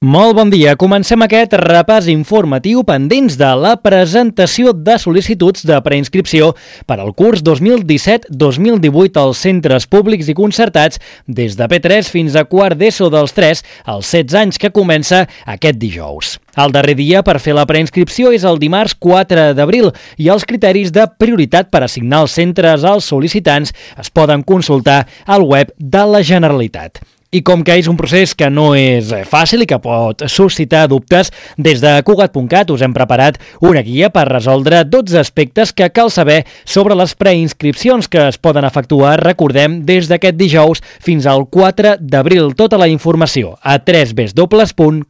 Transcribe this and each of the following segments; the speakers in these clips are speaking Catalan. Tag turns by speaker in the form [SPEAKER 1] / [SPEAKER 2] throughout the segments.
[SPEAKER 1] Molt bon dia. Comencem aquest repàs informatiu pendents de la presentació de sol·licituds de preinscripció per al curs 2017-2018 als centres públics i concertats des de P3 fins a quart d'ESO dels 3 als 16 anys que comença aquest dijous. El darrer dia per fer la preinscripció és el dimarts 4 d'abril i els criteris de prioritat per assignar els centres als sol·licitants es poden consultar al web de la Generalitat. I com que és un procés que no és fàcil i que pot suscitar dubtes, des de Cugat.cat us hem preparat una guia per resoldre 12 aspectes que cal saber sobre les preinscripcions que es poden efectuar, recordem, des d'aquest dijous fins al 4 d'abril. Tota la informació a www.cugat.cat.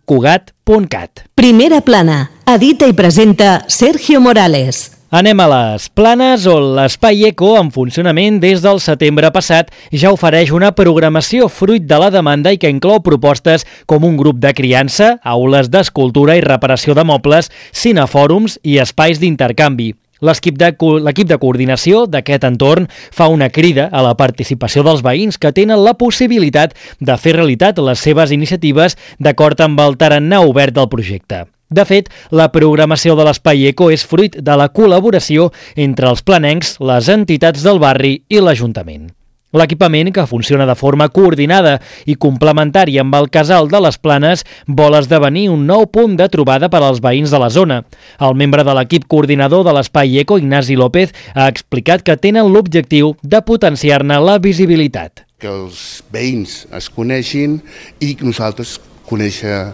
[SPEAKER 2] Primera plana. Edita i presenta Sergio Morales.
[SPEAKER 1] Anem a les Planes, on l'Espai Eco, en funcionament des del setembre passat, ja ofereix una programació fruit de la demanda i que inclou propostes com un grup de criança, aules d'escultura i reparació de mobles, cinefòrums i espais d'intercanvi. L'equip de coordinació d'aquest entorn fa una crida a la participació dels veïns que tenen la possibilitat de fer realitat les seves iniciatives d'acord amb el tarannà obert del projecte. De fet, la programació de l'Espai Eco és fruit de la col·laboració entre els planencs, les entitats del barri i l'Ajuntament. L'equipament, que funciona de forma coordinada i complementària amb el Casal de les Planes, vol esdevenir un nou punt de trobada per als veïns de la zona. El membre de l'equip coordinador de l'Espai Eco, Ignasi López, ha explicat que tenen l'objectiu de potenciar-ne la visibilitat.
[SPEAKER 3] Que els veïns es coneixin i nosaltres conèixer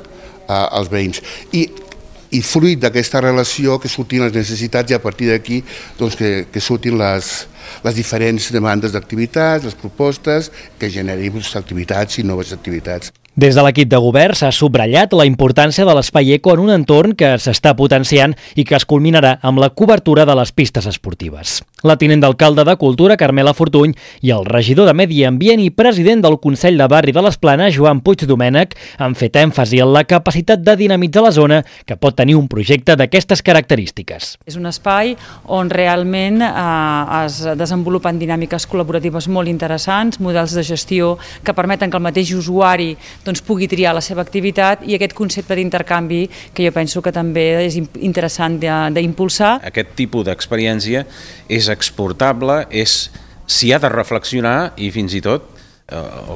[SPEAKER 3] els veïns. I fruit d'aquesta relació que surtin les necessitats i a partir d'aquí doncs, que surtin les diferents demandes d'activitats, les propostes, que generin activitats i noves activitats.
[SPEAKER 1] Des de l'equip de govern s'ha subratllat la importància de l'Espai Eco en un entorn que s'està potenciant i que es culminarà amb la cobertura de les pistes esportives. La tinent d'alcalde de Cultura, Carmela Fortuny, i el regidor de Medi Ambient i president del Consell de Barri de les Planes, Joan Puig Domènech, han fet èmfasi en la capacitat de dinamitzar la zona que pot tenir un projecte d'aquestes característiques.
[SPEAKER 4] És un espai on realment es desenvolupen dinàmiques col·laboratives molt interessants, models de gestió que permeten que el mateix usuari pugui triar la seva activitat i aquest concepte d'intercanvi que jo penso que també és interessant d'impulsar.
[SPEAKER 5] Aquest tipus d'experiència és exportable, s'hi ha de reflexionar i fins i tot,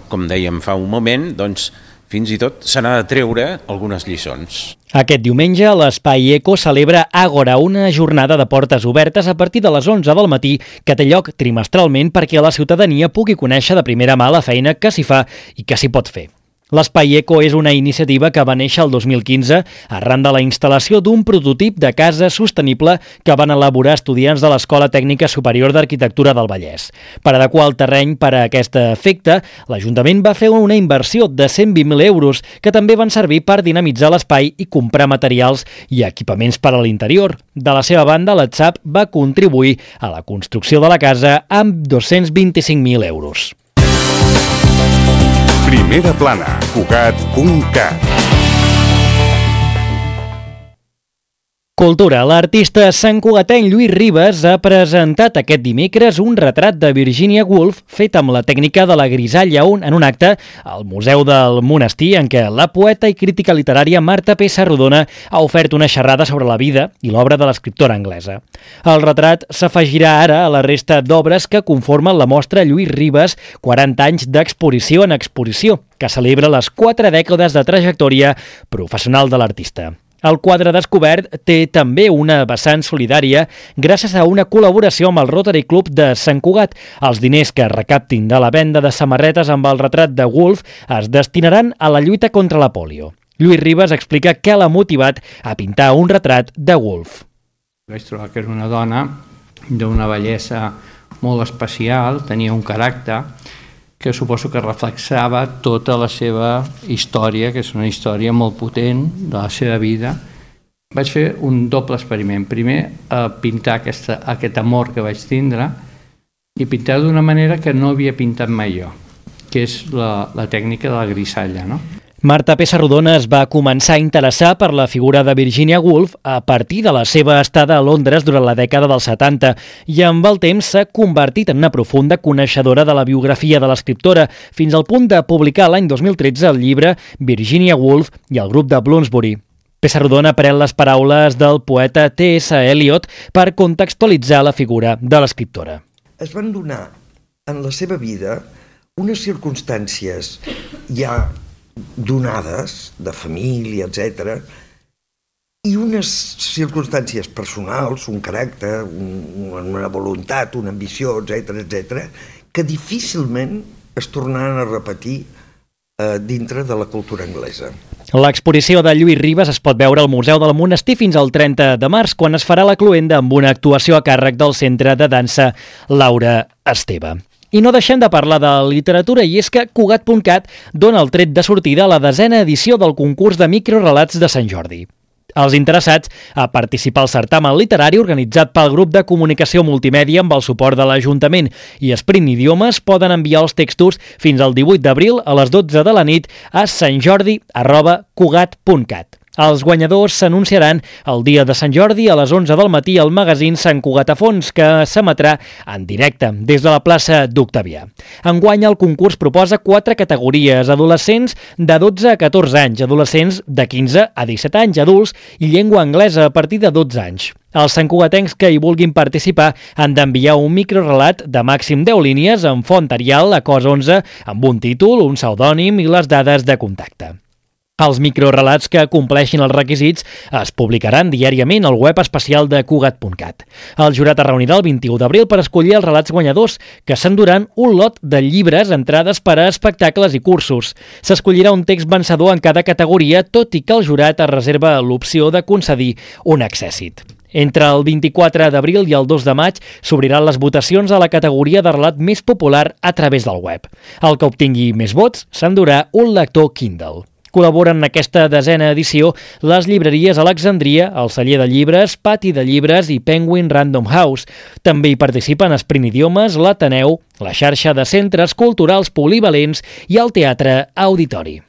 [SPEAKER 5] com dèiem fa un moment, doncs fins i tot se n'ha de treure algunes lliçons.
[SPEAKER 1] Aquest diumenge l'Espai Eco celebra Àgora, una jornada de portes obertes a partir de les 11 del matí que té lloc trimestralment perquè la ciutadania pugui conèixer de primera mà la feina que s'hi fa i que s'hi pot fer. L'Espai Eco és una iniciativa que va néixer el 2015 arran de la instal·lació d'un prototip de casa sostenible que van elaborar estudiants de l'Escola Tècnica Superior d'Arquitectura del Vallès. Per adequar el terreny per a aquest efecte, l'Ajuntament va fer una inversió de 120.000 euros que també van servir per dinamitzar l'espai i comprar materials i equipaments per a l'interior. De la seva banda, l'ETSAP va contribuir a la construcció de la casa amb 225.000 euros.
[SPEAKER 6] Primera plana, Cugat.cat.
[SPEAKER 1] Cultura. L'artista santcugatenc Lluís Ribas ha presentat aquest dimecres un retrat de Virginia Woolf fet amb la tècnica de la grisalla en un acte al Museu del Monestir en què la poeta i crítica literària Marta P. Sarrodona ha ofert una xerrada sobre la vida i l'obra de l'escriptora anglesa. El retrat s'afegirà ara a la resta d'obres que conformen la mostra Lluís Ribas 40 anys d'exposició en exposició, que celebra les 4 dècades de trajectòria professional de l'artista. El quadre descobert té també una vessant solidària gràcies a una col·laboració amb el Rotary Club de Sant Cugat. Els diners que recaptin de la venda de samarretes amb el retrat de Woolf es destinaran a la lluita contra la pòlio. Lluís Ribas explica què l'ha motivat a pintar un retrat de Woolf.
[SPEAKER 7] Vaig trobar que era una dona d'una bellesa molt especial, tenia un caràcter que suposo que reflexava tota la seva història, que és una història molt potent de la seva vida. Vaig fer un doble experiment. Primer, pintar aquest amor que vaig tindre i pintar d'una manera que no havia pintat mai jo, que és la tècnica de la grisalla, no?
[SPEAKER 1] Marta Pessarrodona es va començar a interessar per la figura de Virginia Woolf a partir de la seva estada a Londres durant la dècada dels 70 i amb el temps s'ha convertit en una profunda coneixedora de la biografia de l'escriptora fins al punt de publicar l'any 2013 el llibre Virginia Woolf i el grup de Bloomsbury. Pessarrodona pren les paraules del poeta T.S. Eliot per contextualitzar la figura de l'escriptora.
[SPEAKER 8] Es van donar en la seva vida unes circumstàncies ja donades, de família, etc., i unes circumstàncies personals, un caràcter, una voluntat, una ambició, etc., que difícilment es tornaran a repetir dintre de la cultura anglesa.
[SPEAKER 1] L'exposició de Lluís Ribas es pot veure al Museu del Monestir fins al 30 de març, quan es farà la cloenda amb una actuació a càrrec del Centre de Dansa Laura Esteve. I no deixem de parlar de literatura, i és que Cugat.cat dona el tret de sortida a la 10a edició del concurs de microrelats de Sant Jordi. Els interessats a participar al certamen literari organitzat pel grup de comunicació multimèdia amb el suport de l'Ajuntament i Sprint Idiomes poden enviar els textos fins al 18 d'abril a les 12 de la nit a santjordi@cugat.cat. Els guanyadors s'anunciaran el dia de Sant Jordi a les 11 del matí al magazín Sant Cugat a Fons, que s'emetrà en directe des de la plaça d'Octavià. Enguany el concurs proposa 4 categories: adolescents de 12 a 14 anys, adolescents de 15 a 17 anys, adults i llengua anglesa a partir de 12 anys. Els santcugatencs que hi vulguin participar han d'enviar un microrelat de màxim 10 línies en font Arial a cos 11 amb un títol, un pseudònim i les dades de contacte. Els microrelats que compleixin els requisits es publicaran diàriament al web especial de Cugat.cat. El jurat es reunirà el 21 d'abril per escollir els relats guanyadors, que s'enduran un lot de llibres, entrades per a espectacles i cursos. S'escollirà un text vencedor en cada categoria, tot i que el jurat es reserva l'opció de concedir un accèssit. Entre el 24 d'abril i el 2 de maig s'obriran les votacions a la categoria de relat més popular a través del web. El que obtingui més vots s'endurà un lector Kindle. Col·laboren en aquesta 10a edició les llibreries Alexandria, el celler de llibres, Pati de llibres i Penguin Random House. També hi participen Sprint Idiomes, l'Ateneu, la xarxa de centres culturals polivalents i el Teatre Auditori.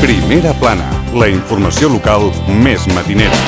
[SPEAKER 6] Primera plana, la informació local més matinera.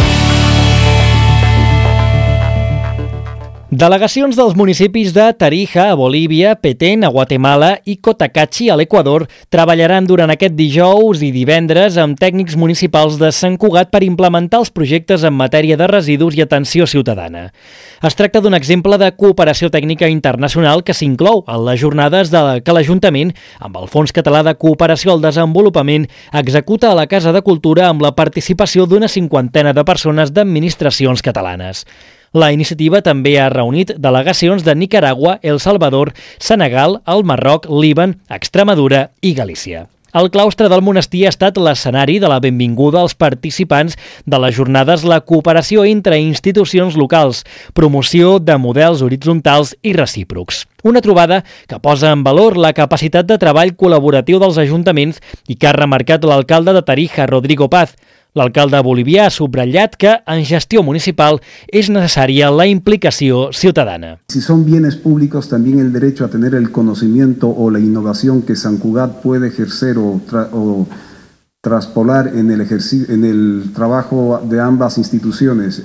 [SPEAKER 1] Delegacions dels municipis de Tarija, a Bolívia, Petén, a Guatemala i Cotacachi, a l'Equador, treballaran durant aquest dijous i divendres amb tècnics municipals de Sant Cugat per implementar els projectes en matèria de residus i atenció ciutadana. Es tracta d'un exemple de cooperació tècnica internacional que s'inclou en les jornades que l'Ajuntament, amb el Fons Català de Cooperació al Desenvolupament, executa a la Casa de Cultura amb la participació d'una 50 de persones d'administracions catalanes. La iniciativa també ha reunit delegacions de Nicaragua, El Salvador, Senegal, el Marroc, Líban, Extremadura i Galícia. El claustre del monestir ha estat l'escenari de la benvinguda als participants de les jornades La cooperació entre institucions locals, promoció de models horitzontals i recíprocs. Una trobada que posa en valor la capacitat de treball col·laboratiu dels ajuntaments i que ha remarcat l'alcalde de Tarija, Rodrigo Paz. L'alcalde bolivià ha subratllat que en gestió municipal és necessària la implicació ciutadana.
[SPEAKER 9] Si son bienes públicos, también el derecho a tener el conocimiento o la innovación que Sant Cugat puede ejercer o traspolar en el trabajo de ambas instituciones.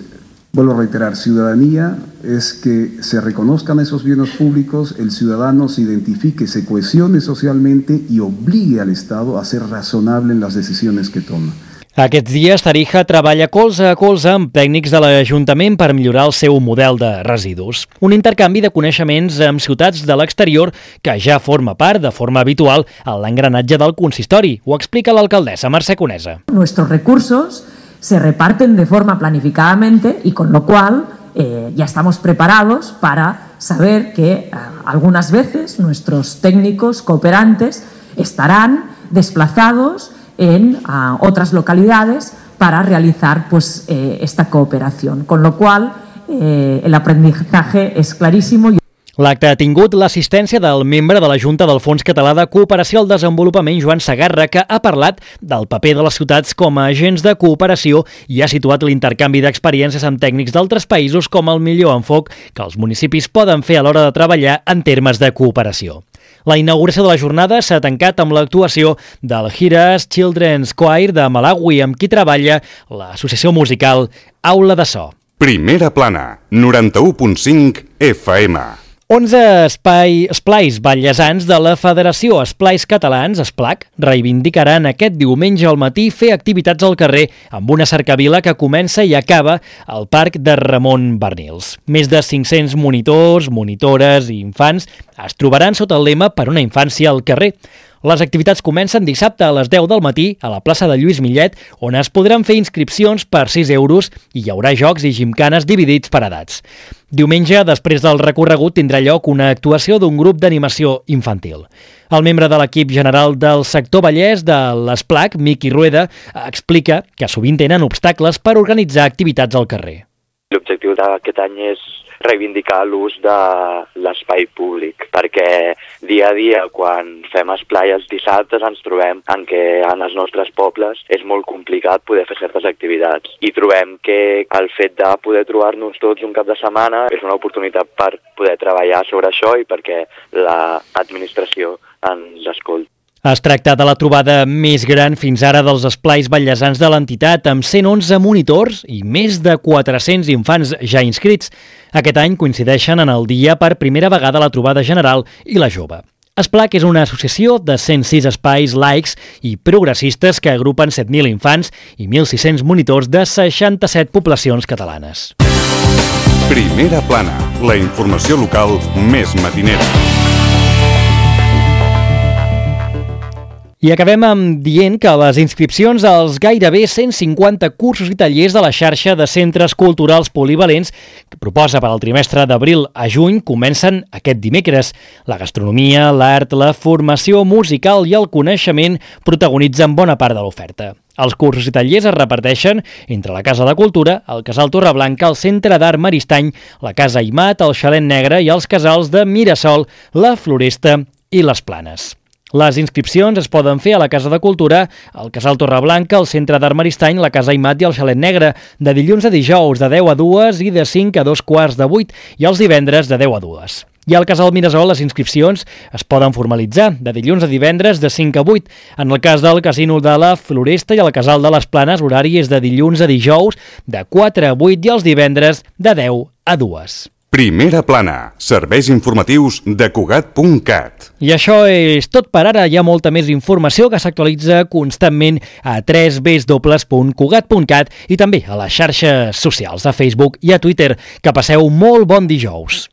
[SPEAKER 9] Vuelvo a reiterar, ciudadanía es que se reconozcan esos bienes públicos, el ciudadano se identifique, se cohesione socialmente y obligue al Estado a ser razonable en las decisiones que toma.
[SPEAKER 1] Aquests dies, Tarija treballa colze a colze amb tècnics de l'Ajuntament per millorar el seu model de residus. Un intercanvi de coneixements amb ciutats de l'exterior que ja forma part de forma habitual en l'engranatge del consistori. Ho explica l'alcaldessa Mercè Conesa.
[SPEAKER 10] Nuestros recursos se reparten de forma planificadamente y con lo cual ya estamos preparados para saber que algunas veces nuestros técnicos cooperantes estarán desplazados en otras localidades para realizar esta cooperación, con lo cual el aprendizaje es clarísimo.
[SPEAKER 1] L'acte ha tingut l'assistència del membre de la Junta del Fons Català de Cooperació al Desenvolupament, Joan Sagarra, que ha parlat del paper de les ciutats com a agents de cooperació i ha situat l'intercanvi d'experiències amb tècnics d'altres països com el millor enfoc que els municipis poden fer a l'hora de treballar en termes de cooperació. La inauguració de la jornada s'ha tancat amb l'actuació del Hiras Children's Choir de Malawi, amb qui treballa l'associació musical Aula de So.
[SPEAKER 6] Primera plana, 91.5 FM.
[SPEAKER 1] 11 esplais ballesans de la Federació Esplais Catalans, ESPLAC, reivindicaran aquest diumenge al matí fer activitats al carrer amb una cercavila que comença i acaba al Parc de Ramon Barnils. Més de 500 monitors, monitores i infants es trobaran sota el lema Per una infància al carrer. Les activitats comencen dissabte a les 10 del matí a la plaça de Lluís Millet, on es podran fer inscripcions per 6 euros i hi haurà jocs i gimcanes dividits per edats. Diumenge, després del recorregut, tindrà lloc una actuació d'un grup d'animació infantil. El membre de l'equip general del sector Vallès de l'ESPLAC, Miqui Rueda, explica que sovint tenen obstacles per organitzar activitats al carrer.
[SPEAKER 11] L'objectiu d'aquest any és reivindicar l'ús de l'espai públic, perquè dia a dia, quan fem esplai els dissabtes, ens trobem en què en els nostres pobles és molt complicat poder fer certes activitats. I trobem que el fet de poder trobar-nos tots un cap de setmana és una oportunitat per poder treballar sobre això i perquè l'administració ens escolti.
[SPEAKER 1] Es tracta de la trobada més gran fins ara dels esplais ballesans de l'entitat, amb 111 monitors i més de 400 infants ja inscrits. Aquest any coincideixen en el dia per primera vegada la trobada general i la jove. ESPLAC és una associació de 106 espais laics i progressistes que agrupen 7.000 infants i 1.600 monitors de 67 poblacions catalanes.
[SPEAKER 6] Primera plana, la informació local més matinera.
[SPEAKER 1] I acabem dient que les inscripcions als gairebé 150 cursos i tallers de la xarxa de centres culturals polivalents que proposa per al trimestre d'abril a juny comencen aquest dimecres. La gastronomia, l'art, la formació musical i el coneixement protagonitzen bona part de l'oferta. Els cursos i tallers es reparteixen entre la Casa de Cultura, el Casal Torreblanca, el Centre d'Art Maristany, la Casa Aimat, el Xalet Negre i els casals de Mirasol, la Floresta i les Planes. Les inscripcions es poden fer a la Casa de Cultura, al Casal Torreblanca, al Centre d'Art Maristany, la Casa Aimat i el Xalet Negre, de dilluns a dijous de 10 a 2 i de 5 a 2:15 i els divendres de 10 a 2. I al Casal Mirasol les inscripcions es poden formalitzar de dilluns a divendres de 5 a 8. En el cas del Casino de la Floresta i el Casal de les Planes, l'horari és de dilluns a dijous de 4 a 8 i els divendres de 10 a 2.
[SPEAKER 6] Primera plana, serveis informatius de Cugat.cat.
[SPEAKER 1] I això és tot per ara. Hi ha molta més informació que s'actualitza constantment a www.cugat.cat i també a les xarxes socials, a Facebook i a Twitter. Que passeu molt bon dijous.